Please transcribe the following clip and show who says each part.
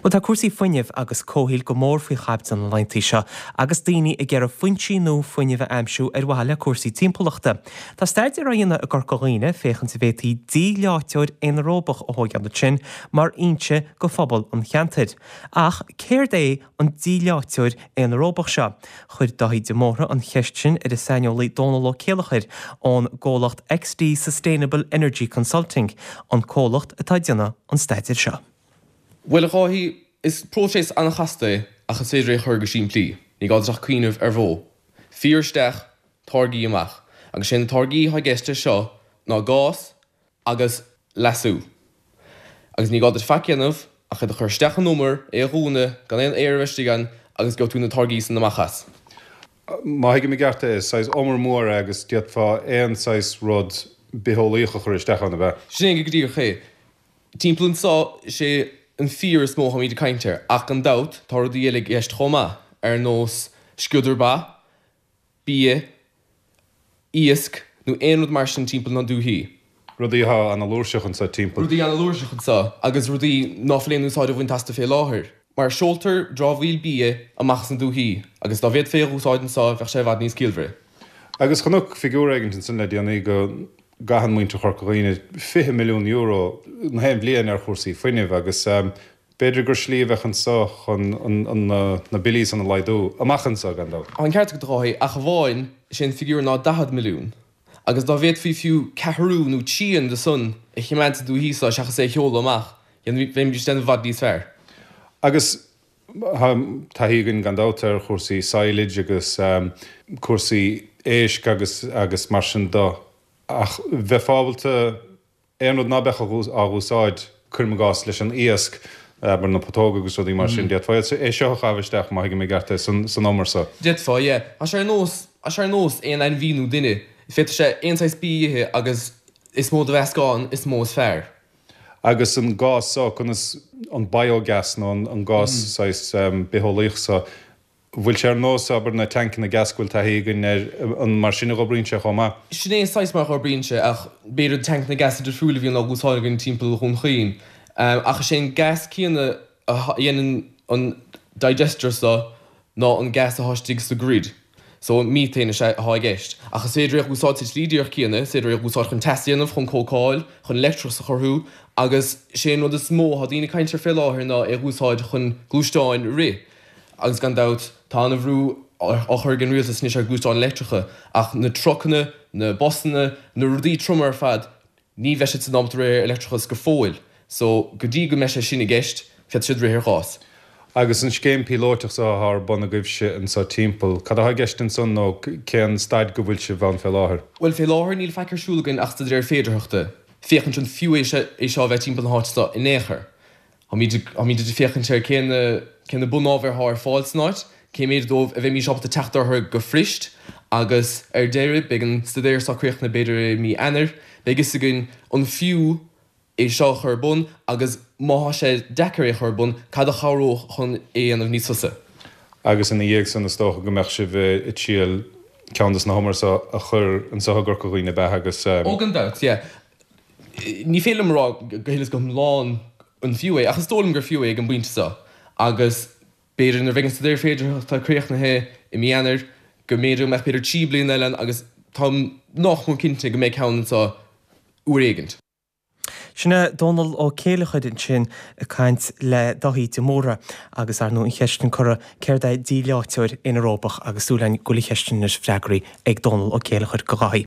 Speaker 1: Bhuel, tá cúrsaí fuinnimh agus comhshaoil go mór faoi chaibidil na laethanta seo agus daoine ag iarraidh foinsí nua fuinnimh a aimsiú ar mhaithe le cúrsaí timpeallachta. Tá staidéar á dhéanamh i gCorca Dhuibhne féachaint an bhféadfaí díleáiteoir aonaeróbach a thóigeáil ansin mar fhoinse go phobal an cheantair. Ach céard é an díleáiteoir aonaeróbach seo? Chuir Dáithí de Mórdha an cheist sin ar an saineolaí Dónal Ó Céileachair ón gcomhlacht XD Sustainable Energy Consulting, an comhlacht atá ag déanamh an staidéir seo.
Speaker 2: Bhuel, a Dháithí, is próiseas an-chasta é ach is féidir é a chur go simplí. Ní gá duit ach cuimhneamh ar bhó. Fíor isteach, táirgí amach. Agus sé na táirgí atá i gceist leis seo ná gás agus leasú. Agus ní gá duit faic a dhéanamh ach iad a chur isteach in umar, é a dhúnadh, gan aon aer a bheith istigh ann agus gheobhaidh tú na táirgí san amach as.
Speaker 3: Má thuigim i gceart é, is saghas umar mór é agus d'fhéadfá aon saghas rud bitheolaíoch a chur isteach ann, ab ea?
Speaker 2: Sin é go díreach é. Timpeall anseo, is é an fíor is mó atáimid ag caint air, ach gan dabht, tá rudaí eile i gceist chomh maith, ar nós sciodar ba, bia, iasc, nó aon rud mar sin timpeall na dúichí.
Speaker 3: Rudaí atá ana-fhlúirseach anseo timpeall.
Speaker 2: Rudaí ana-fhlúirseach anseo, agus rudaí ná fuil aon úsáid á bhaint astu fé láthair. Mar seoltar dramhaíl bia amach as na dúichí, agus dá bhféadfaí é a dh'úsáid anseo, bheadh sé i bhfad níos ciallmhaire.
Speaker 3: Agus chonac figiúr éigint ansin le déanaí go gcaitheann muintir Chorca Dhuibhne €20 milliún na haon bhliain ar chúrsaí fuinnimh agus b'fhéidir gur slí a bheadh anseo chun na billí san a laghdú, amach anseo, gan dabht.
Speaker 2: Tá an ceart agat, a Dháithí, ach amháin, is é an figiúr ná 40 milliún. Agus dá bhféadfaí fiú ceathrú nó trian de san a choimeád sa dúichí so seachas é a sheoladh amach, bheimís ag déanamh i bhfad níos fearr.
Speaker 3: Agus Tá taithí againn gan dabht ar chúrsaí silage agus cúrsaí éisc agus agus mar sin de ach bheifeá ábalta aon rud ná beadh á dh'úsáid, cuirim i gcás, leis an iasc, abair na putóga agus rudaí mar sin, d'fhéadfá é seo a chaitheamh isteach, má thuigim i gceart é, san umar so.
Speaker 2: D'fhéadfá, yeah. Tá sé ar nós, tá sé ar nós aon ainmhí nó duine, féadfaidh sé aon saghas bia a ithe agus is mó de mheascán is mó is fearr.
Speaker 3: Agus an gás so, conas, an biogas nó an gás saghas bitheolaíoch so, bhfuil sé ar nós, abair, na tancanna gas go bhfuil taithí againn air, an mar sin a dh'oibríonn sé chomh maith?
Speaker 2: Sin é saghas mar a dh'oibríonn sé, ach b'fhéidir tancanna gas difriúil a bhíonn á dh'úsáid againn timpeall Dhún Chaoin. Ach is é an gas céanna a dhéanann an digester so ná an gas atá istigh sa grid. So, methane is ea atá i gceist. Ach is féidir é a dh'úsáid sa tslí díreach céanna, is féidir é a dh'úsáid chun teas a dhéanamh, chun cócáil, chun leictreachas a chruthú, agus sé an rud is mó atá daoine ag caint air fé láthair ná é a dh'úsáid chun gluaisteáin a rith. Agus gan dabht, tá ana-bhrú á chur ag an rialtas anois ar ghluaisteáin leictreacha, ach na trucanna, na busanna, na rudaí troma ar fad, Ní bheidh siad san ábalta rith ar leictreachas go fóill, so go dtí go mbeidh sé sin i gceist, féadfaidh siad rith ar ghás.
Speaker 3: Agus an scéim píolóiteach so atá ar bun agaibhse anso timpeall, cad atá i gceist ansan nó cén staid go bhfuil sibh ann fé láthair?
Speaker 2: Bhuel, fé láthair níl faic ar siúl againn ach staidéar féidearthachta, féachaint an fiú é seo a bheith timpeall na háite so in aon chor. Táimid ag féachaint ar cé na cé na bunábhair atá ar fáil san áit, cé méid dóibh a bheimís ábalta teacht orthu go fuirist agus ar deireadh beidh an staidéar seo críochnaithe b'fhéidir i mí Eanáir, beidh fhios againn an fiú é seo a chur ar bun agus má tá sé deacair é a chur ar bun, cad a chabhródh chun é a dhéanamh níos fusa.
Speaker 3: Agus ina dhiaidh san is dócha go mbeadh sibh ag triail ceann dos na humair seo a chur anso i gCorca Dhuibhne ab ea agus.
Speaker 2: Ó gan dabht, yeah. Ní féidir liom a rá go huile is go hiomlán an fiú é, ach is dóigh liom gur fiú é ag an bpointe seo agus b'fhéidir nuair a bheidh an staidéar féidearthachta críochnaithe i mí Eanáir go mb'fhéidir go mbeadh b'fhéidir 3 bliana eile ann agus táim nách mór cinnte go mbeidh ceann anseo uair éigint.
Speaker 1: Sin é Dónal Ó Céileachair ansin ag caint le Dáithí de Mórdha agus ar ndóigh an cheist sin curtha céard é díleáiteoir anaeróbach agus súil againn go bhfuil an cheist sin anois freagraithe ag Dónal Ó Céileachair go Dháithí.